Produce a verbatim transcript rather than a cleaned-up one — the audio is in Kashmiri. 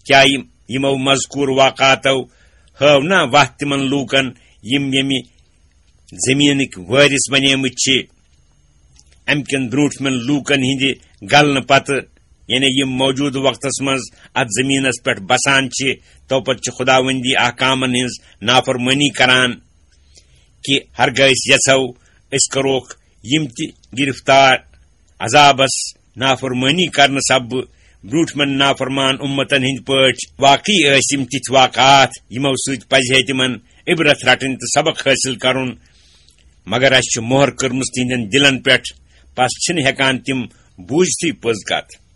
کیا یِم، یِمو مذکور واقعاتو ہٲو نا وتھ تِمن لوٗکن، یِم ییٚمہِ زٔمیٖنٕکۍ وٲرِث بنیمٕتۍ چھِ؟ امہِ کٮ۪ن برٛونٛٹھمٮ۪ن لوٗکن ہٕنٛدِ گلنہٕ پتہٕ، یعنی یِم موجودٕ وقتس منٛز اتھ زٔمیٖنس پٮ۪ٹھ بسان چھِ، تو پتہٕ چھِ خداوندی احکامن ہٕنٛز نافرمٲنی کران کہِ ہرگاہ أسۍ یژھو، أسۍ کروکھ یِم تہِ گرفتار عذابس۔ نافرمٲنی کرنہٕ سببہٕ برٛونٛٹھمٮ۪ن نافرمان اُمتن ہٕنٛدۍ پٲٹھۍ۔ واقعی ٲسۍ یِم تِتھۍ واقعات، یِمو سۭتۍ پزِ ہے تِمن عبرت رٹٕنۍ تہٕ سبق حٲصِل کرُن، مگر اسہِ چھِ مۄہر کٔرمٕژ تِہنٛدٮ۪ن دِلن پٮ۪ٹھ، پس چھِنہٕ ہٮ۪کان تِم بوٗزتھٕے پٔز کتھ۔